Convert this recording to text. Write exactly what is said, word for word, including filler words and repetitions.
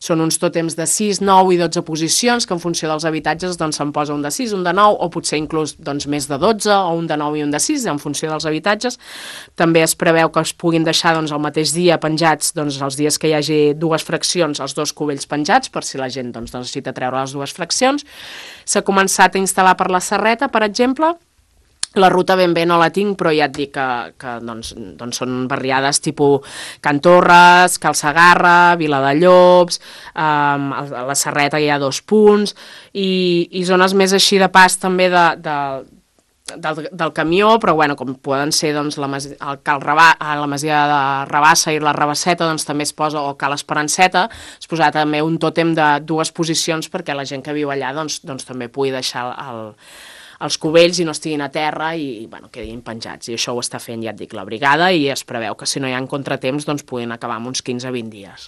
són uns tòtems de sis, nou i dotze posicions, que en funció dels habitatges doncs se'n posa un de sis, un de nou, o potser inclús doncs, més de dotze, o un de nou i un de sis, en funció dels habitatges. També es preveu que es puguin deixar doncs, el mateix dia penjats, doncs, els dies que hi hagi dues fraccions, els dos cubells penjats, per si la gent doncs, necessita treure les dues fraccions. S'ha començat a instal·lar per la Serreta, per exemple. La ruta ben bé no la tinc, però ja et dic que, que doncs, doncs són barriades tipus Can Torres, Cal Segarra, Viladallops, eh, a la Serreta hi ha dos punts, i, i zones més així de pas també de, de, del, del camió, però bueno, com poden ser doncs, la, Mas, el Cal Rabà, la Masia de Rabassa i la Rabasseta, doncs també es posa, o Cal Esperanceta, es posa també un tòtem de dues posicions perquè la gent que viu allà doncs, doncs també pugui deixar el, els cubells i no estiguin a terra i bueno, quedin penjats. I això ho està fent, ja et dic, la brigada, i es preveu que si no hi ha contratemps doncs puguin acabar amb uns quinze a vint dies.